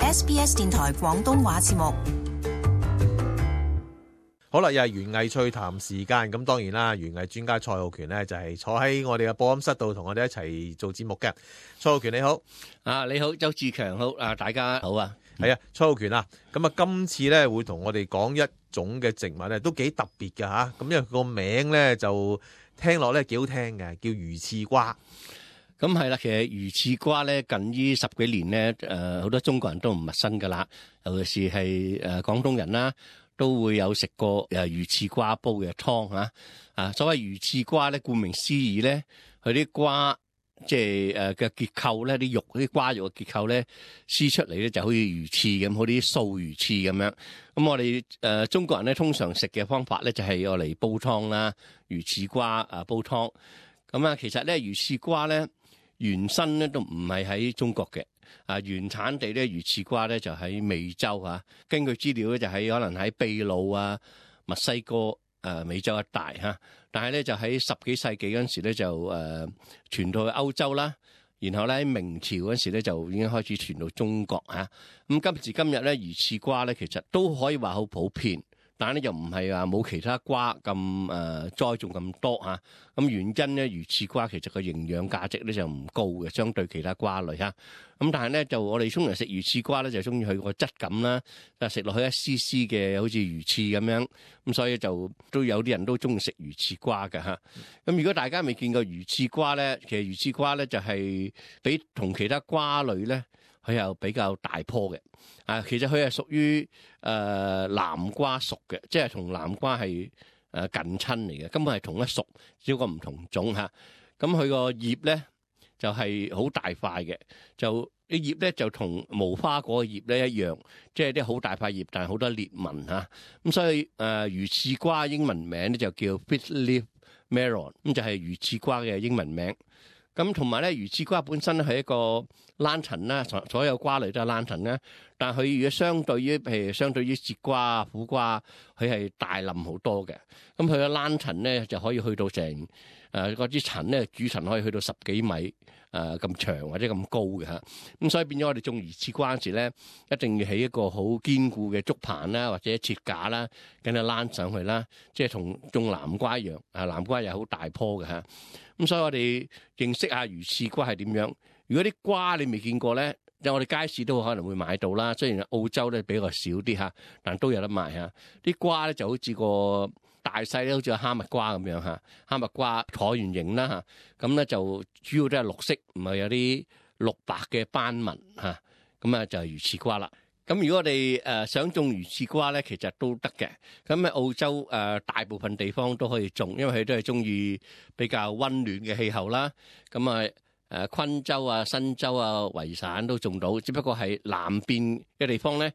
SBS 電台廣東話節目。好啦，又係園藝趣談時間。咁當然啦，園藝專家蔡浩權呢就係坐喺我哋嘅播音室度同我哋一齊做節目嘅。蔡浩權你好。你好，周志強好。大家好啊。係啊，蔡浩權啊，咁啊今次咧會同我哋講一種嘅植物咧，都幾特別㗎吓。咁因為佢個名咧就聽落咧幾好聽嘅，叫魚翅瓜。咁係啦，其實魚翅瓜咧近呢10幾年咧，好多中國人都唔陌生㗎啦，尤其是係廣東人啦，都會有食過魚翅瓜煲嘅湯啊。所謂魚翅瓜咧，顧名思義咧，佢啲瓜即係嘅結構咧，啲肉啲瓜肉嘅結構咧，撕出嚟咧就好似魚翅咁，好似素魚翅咁樣。咁我哋中國人咧通常食嘅方法咧就係用嚟煲湯啦，魚翅瓜煲湯。咁啊，其實咧魚翅瓜咧原身咧都唔係喺中國嘅，原產地咧魚翅瓜咧就喺美洲啊。根據資料咧就喺可能喺秘魯啊、墨西哥美洲一帶嚇。但係咧就喺10幾世紀嗰陣時咧就傳到去歐洲啦，然後咧喺明朝嗰陣時咧就已經開始傳到中國嚇。咁今時今日咧魚翅瓜咧其實都可以話好普遍，但係咧又唔係話冇其他瓜咁栽種咁多嚇。咁原因咧魚翅瓜其實個營養價值咧就唔高嘅，相對其他瓜類嚇。咁但係咧就我哋通常食魚翅瓜咧就中意佢個質感啦，食落去一絲絲嘅好似魚翅咁樣，咁所以就都有啲人都中意食魚翅瓜嘅嚇。咁如果大家未見過魚翅瓜咧，其實魚翅瓜咧就係比同其他瓜類咧，佢又比較大棵嘅。其實佢係屬於南瓜屬嘅，即係同南瓜係近親嚟嘅，根本係同一屬，只不過唔同種嚇。咁佢個葉咧就係好大塊嘅，就啲葉咧就同無花果嘅葉咧一樣，即係啲好大塊葉，但係好多裂紋嚇。咁所以魚翅瓜英文名咧就叫 Fish-leaf melon， 咁就係魚翅瓜嘅英文名。咁同埋咧魚翅瓜本身咧係一個蘭藤啦，所有瓜類都係蘭藤啦。但係佢如果相對於節瓜、苦瓜，佢係大冧好多嘅。咁佢嘅蘭藤咧就可以去到成嗰啲層咧，主層可以去到10幾米咁長或者咁高嘅嚇。咁所以變咗我哋種魚翅瓜嗰時咧，一定要起一個好堅固嘅竹棚啦，或者設架啦，跟住躝上去啦，即係同種南瓜一樣。南瓜又好大棵嘅嚇。咁所以我哋認識下魚翅瓜係點樣。如果啲瓜你未見過咧，就我哋街市都可能會買到啦。雖然澳洲咧比較少啲嚇，但都有得賣嚇。啲瓜咧就好似個大細咧，好似個哈密瓜咁樣嚇。哈密瓜橢圓形啦嚇，咁咧就主要都係綠色，唔係有啲綠白嘅斑紋嚇。咁啊就係魚翅瓜啦。咁如果我哋想種魚翅瓜咧，其實都得嘅。咁喺澳洲大部分地方都可以種，因為佢都係中意比較溫暖嘅氣候啦。咁昆州啊、新州啊、維省都種到，只不過係南邊嘅地方咧，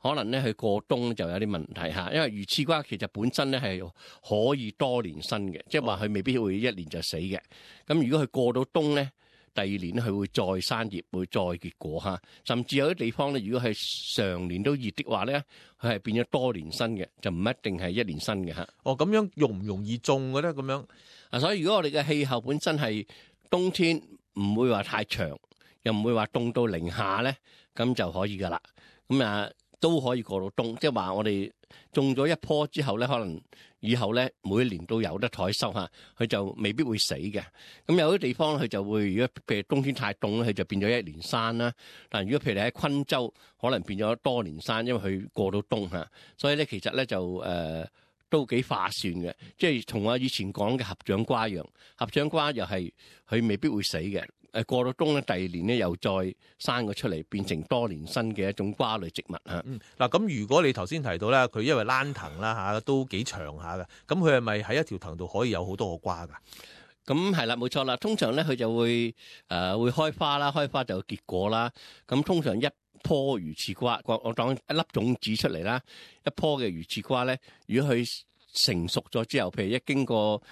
可能咧佢過冬就有啲問題嚇。因為魚翅瓜其實本身咧係可以多年生嘅，即係話佢未必會一年就死嘅。咁如果佢過到冬咧，第二年咧佢會再生葉，會再結果嚇。甚至有啲地方咧，如果係常年都熱的話咧，佢係變咗多年生嘅，就唔一定係一年生嘅嚇。咁樣容唔容易種嘅咧？咁樣所以如果我哋嘅氣候本身係冬天唔會話太長，又唔會話凍到零下咧，咁就可以噶啦。咁都可以過到冬，即係話我哋種咗一棵之後咧，可能以後咧每一年都有得採收嚇，佢就未必會死嘅。咁有啲地方佢就會，如果譬如冬天太凍咧，佢就變咗一年生啦。但如果譬如你喺昆州，可能變咗多年生，因為佢過到冬嚇。所以咧其實咧就都幾划算嘅，即係同我以前講嘅合掌瓜一樣，合掌瓜又係佢未必會死嘅。過到冬咧，第二年咧又再生咗出嚟，變成多年生嘅一種瓜類植物嚇。嗱咁如果你頭先提到咧，佢因為躝藤啦嚇，都幾長下嘅，咁佢係咪喺一條藤度可以有好多個瓜㗎？咁係啦，冇錯啦。通常咧佢就會會開花啦，開花就會結果啦。咁通常一棵魚翅瓜，我當一粒種子出嚟啦，一棵嘅魚翅瓜咧，如果佢成熟咗之後，譬如一經過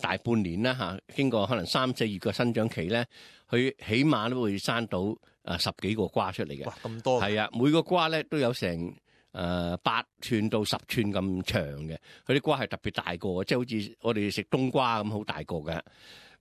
大半年啦嚇，經過可能3、4月嘅生長期咧，佢起碼都會生到10幾個瓜出嚟嘅。哇，咁多！係啊，每個瓜咧都有成8寸到10寸咁長嘅，佢啲瓜係特別大個，即係好似我哋食冬瓜咁好大個嘅。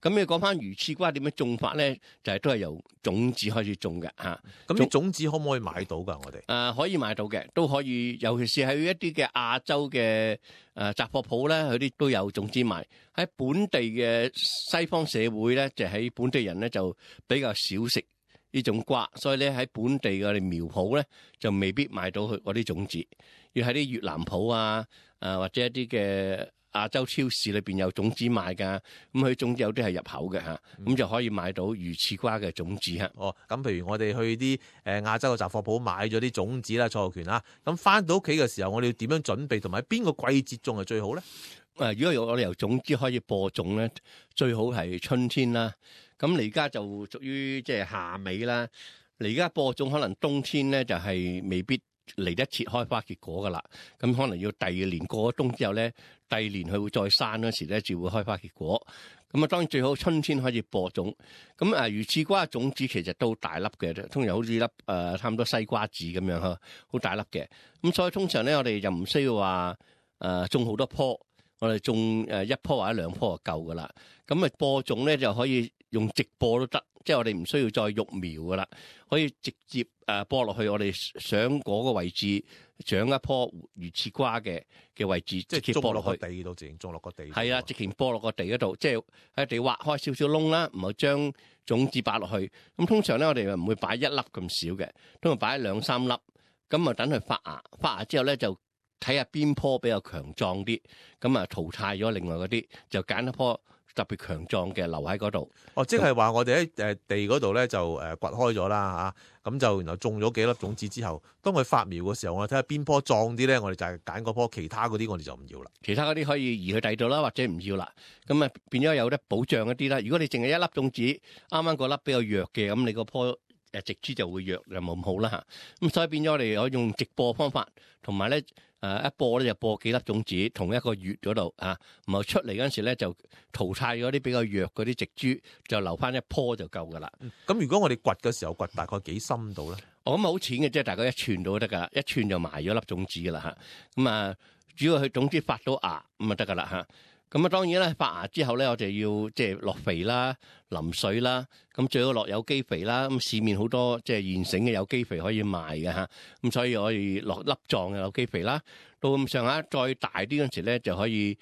咁你講翻魚翅瓜點樣種法咧？就係都係由種子開始種嘅嚇。咁啲種子可唔可以買到㗎？我哋可以買到嘅，都可以，尤其是喺一啲嘅亞洲嘅雜貨鋪咧，佢啲都有種子賣。喺本地嘅西方社會咧，就喺本地人咧就比較少食呢種瓜，所以咧喺本地嘅苗圃咧就未必買到佢嗰啲種子，要喺啲越南鋪啊，或者一啲嘅亞洲超市裏邊有種子賣㗎，咁佢種子有啲係入口嘅嚇，咁就可以買到魚翅瓜嘅種子嚇。哦，咁譬如我哋去啲亞洲嘅雜貨鋪買咗啲種子啦，蔡浩權啦，咁翻到屋企嘅時候，我哋要點樣準備，同埋邊個季節種係最好咧？如果我哋由種子開始播種咧，最好係春天啦。咁你而家就屬於即係夏尾啦。你而家播種可能冬天咧就係未必嚟得切開花結果噶啦，咁可能要第二年過咗冬之後咧，第二年佢會再生嗰時咧，就會開花結果。咁啊，當然最好春天開始播種。咁魚翅瓜種子其實都大粒嘅，通常好似粒差唔多西瓜子咁樣呵，好大粒嘅。咁所以通常咧，我哋就唔需要話種好多棵，我哋種一棵或者兩棵就夠噶啦。咁播種咧就可以用直播都得。即係我哋唔需要再育苗噶啦，可以直接播落去我哋想嗰個位置長一棵魚翅瓜嘅位置，即係直接播落去地度，直情種落個地。係啊，直情播落個地嗰度，即係喺地挖開少少窿啦，唔好將種子擺落去。咁通常咧，我哋唔會擺一粒咁少嘅，通常擺兩三粒。咁啊，等佢發芽，發芽之後咧就睇下邊棵比較強壯啲，咁啊淘汰咗另外嗰啲，就揀一棵特別強壯嘅留喺嗰度。哦，即係話我哋喺地嗰度咧就掘開咗啦嚇，咁就然後種咗幾粒種子之後，當佢發苗嘅時候，我哋睇下邊棵壯啲咧，我哋就係揀嗰棵，其他嗰啲我哋就唔要啦。其他嗰啲可以移去第度啦，或者唔要啦。咁啊變咗有得保障一啲啦。如果你淨係一粒種子，啱啱嗰粒比較弱嘅，咁你個棵植株就會弱，就冇咁好啦嚇。咁所以變咗我哋可以用直播方法，同埋咧一播咧就播幾粒種子，同一個穴嗰度啊，然後出嚟嗰陣時咧就淘汰咗啲比較弱嗰啲植株，就留翻一棵就夠噶啦。咁如果我哋掘嘅時候掘大概幾深度咧？我諗好淺嘅，即係大概一寸到得噶啦，一寸就埋咗粒種子噶啦嚇。咁啊，主要佢種子發到芽咁啊得噶啦嚇。咁啊，當然啦，發芽之後咧，我哋要即係落肥啦、淋水啦，咁最好落有機肥啦。咁市面好多即係現成嘅有機肥可以賣嘅嚇，咁所以可以落粒狀嘅有機肥啦。到咁上下再大啲嗰陣時咧，就可以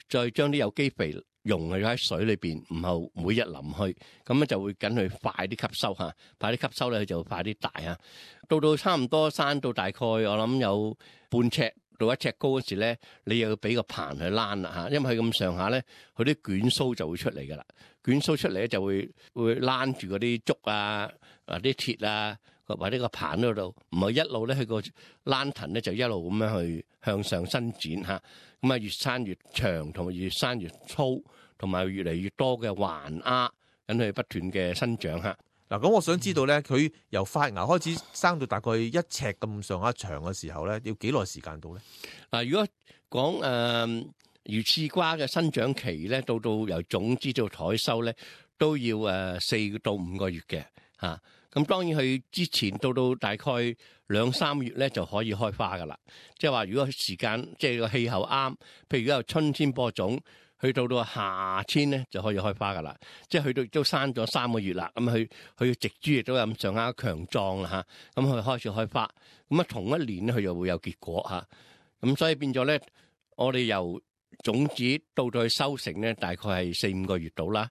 再將啲有機肥溶咗喺水裏邊，然後每日淋去，咁咧就會緊佢快啲吸收嚇，快啲吸收咧佢就快啲大嚇。到差唔多生到大概我諗有半尺到1尺高嗰時咧，你又要俾個棚去攣啦嚇，因為佢咁上下咧，佢啲捲鬚就會出嚟噶啦，捲鬚出嚟咧就會攣住嗰啲竹啊、啲鐵啊，或者個棚嗰度，唔係一路咧佢個攣藤咧就一路咁樣去向上伸展嚇，咁啊越生越長，同埋越生越粗，同埋越嚟越多嘅環芽，等佢不斷嘅生長嚇。嗱，咁我想知道咧，佢由發芽開始生到大概1尺咁上下長嘅時候咧，要幾耐時間到咧？嗱，如果講魚翅瓜嘅生長期咧，到由種子到採收咧，都要4到5個月嘅嚇。咁當然佢之前到大概2-3月咧就可以開花噶啦。即係話如果時間即係個氣候啱，譬如如果由春天播種，去到夏天咧就可以開花噶啦，即係去到都生咗3個月啦，咁佢嘅植株亦都有咁上下強壯啦嚇，咁佢開始開花，咁啊同一年咧佢又會有結果嚇，咁所以變咗咧，我哋由種子到去收成咧，大概係4-5個月到啦，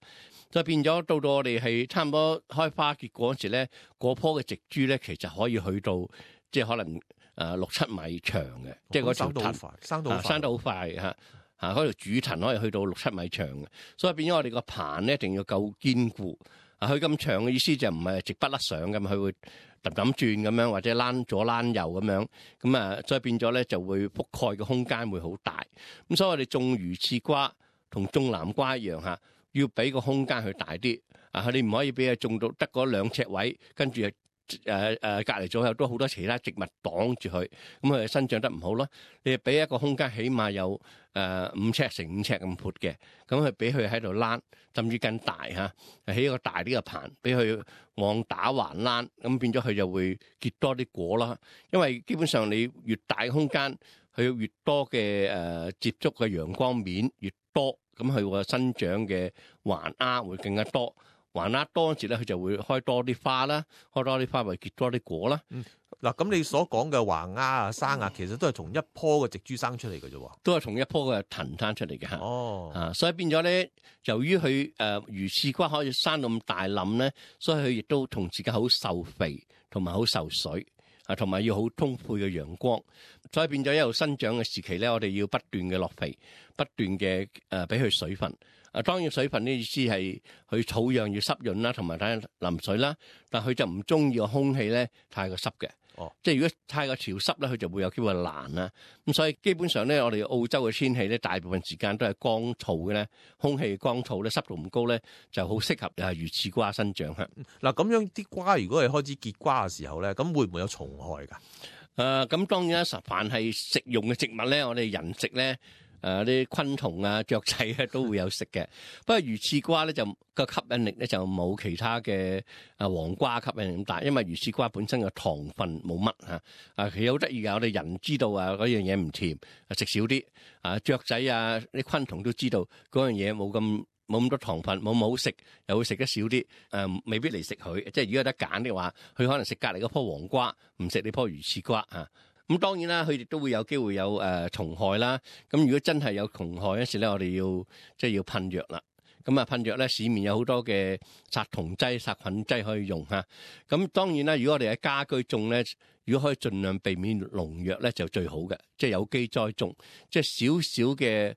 所以變咗到我哋係差唔多開花結果嗰時咧，嗰棵嘅植株咧其實可以去到即係可能6-7米長嘅，即係嗰條藤生得好快嚇。嗰條主藤可以去到6-7米長嘅，所以變咗我哋個棚咧一定要夠堅固。佢咁長嘅意思就唔係直不甩上咁，佢會揼轉咁樣，或者躝左躝右咁樣。咁所以變咗咧就會覆蓋嘅空間會好大。咁所以我哋種魚翅瓜同種南瓜一樣嚇，要俾個空間佢大啲。你唔可以俾佢種到得嗰2尺位，跟住隔離左右都好多其他植物擋住佢，咁佢生長得唔好咯。你俾一個空間，起碼有5尺乘5尺咁闊嘅，咁佢俾佢喺度躝，甚至更大嚇，起一個大啲嘅棚，俾佢往打橫躝，咁變咗佢就會結多啲果啦。因為基本上你越大嘅空間，佢越多嘅接觸嘅陽光面越多，咁佢個生長嘅環丫會更加多。環丫多嗰時咧，佢就會開多啲花啦，開多啲花會結多啲果啦。嗱，咁你所講嘅橫丫啊、生芽，其實都係同一棵嘅植株生出嚟嘅啫喎，都係同一棵嘅藤生出嚟嘅嚇。哦，所以變咗咧，由於佢魚翅瓜可以生到咁大冧咧，所以佢亦都同時間好受肥，同埋好受水，同埋要好充沛嘅陽光。所以變咗一路生長嘅時期咧，我哋要不斷嘅落肥，不斷嘅俾佢水分。當然水分呢意思係佢草樣要濕潤啦，同埋睇淋水啦。但佢就唔中意個空氣咧太過濕嘅。即係如果太過潮濕咧，佢就會有機會爛啦。咁所以基本上咧，我哋澳洲嘅天氣咧，大部分時間都係乾燥嘅咧，空氣乾燥咧，濕度唔高咧，就好適合魚翅瓜生長嚇。嗱，咁樣啲瓜如果係開始結瓜嘅時候咧，咁會唔會有蟲害㗎？咁當然啦，凡係食用嘅植物咧，我哋人食咧。啲昆蟲啊、雀仔啊都會有食嘅，不過魚翅瓜咧就個吸引力咧就冇其他嘅黃瓜吸引力咁大，因為魚翅瓜本身嘅糖分冇乜嚇，其實好得意㗎，我哋人知道嗰樣嘢唔甜，食少啲，雀仔啊啲昆蟲都知道嗰樣嘢冇咁多糖分，冇咁好食，又會食得少啲，未必嚟食佢。即係如果有得揀嘅話，佢可能食隔離嗰棵黃瓜，唔食呢棵魚翅瓜啊。咁當然啦，佢哋都會有機會有蟲害啦。咁如果真係有蟲害嗰時咧，我哋要噴藥啦。咁噴藥咧，市面有好多嘅殺蟲劑、殺菌劑可以用嚇。咁當然啦，如果我哋喺家居種咧，如果可以盡量避免農藥咧，就最好嘅。即係有機栽種，即係少少嘅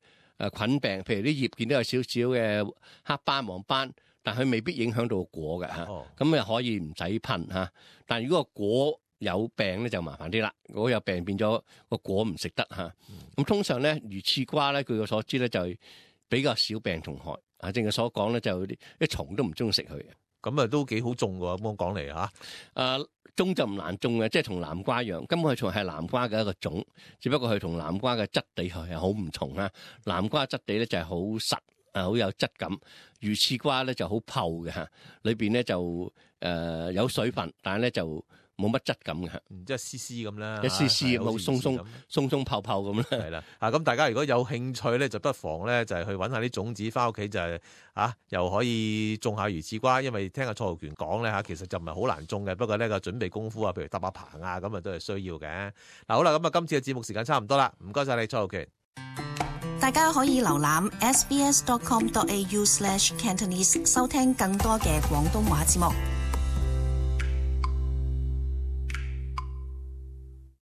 菌病，譬如啲葉見到有少少嘅黑斑、黃斑，但佢未必影響到果嘅嚇。咁又可以唔使噴嚇。但如果個果有病咧就麻煩啲啦，如果有病變咗個果唔食得嚇。咁通常咧魚翅瓜咧，據我所知咧就比較少病蟲害。正如所講咧，就啲蟲都唔中意食佢嘅。咁啊都幾好種喎，咁講嚟嚇。種就唔難種嘅，即係同南瓜一樣，根本佢仲係南瓜嘅一個種，只不過佢同南瓜嘅質地係好唔同啦。南瓜質地咧就係好實，好有質感。魚翅瓜咧就好泡嘅嚇，裏邊咧就有水分，但係咧就冇乜質感嘅，即係絲絲咁啦，一絲絲冇鬆鬆泡泡咁啦。係啦，咁大家如果有興趣咧，就不妨咧就係去揾下啲種子翻屋企，就係又可以種下魚翅瓜。因為聽阿蔡浩權講咧其實就唔係好難種嘅，不過呢個準備功夫啊，譬如搭下棚啊，咁啊都係需要嘅。嗱，好啦，咁啊今次嘅節目時間差唔多啦，唔該晒你蔡浩權。大家可以瀏覽 sbs.com.au/Cantonese 收聽更多嘅廣東話節目。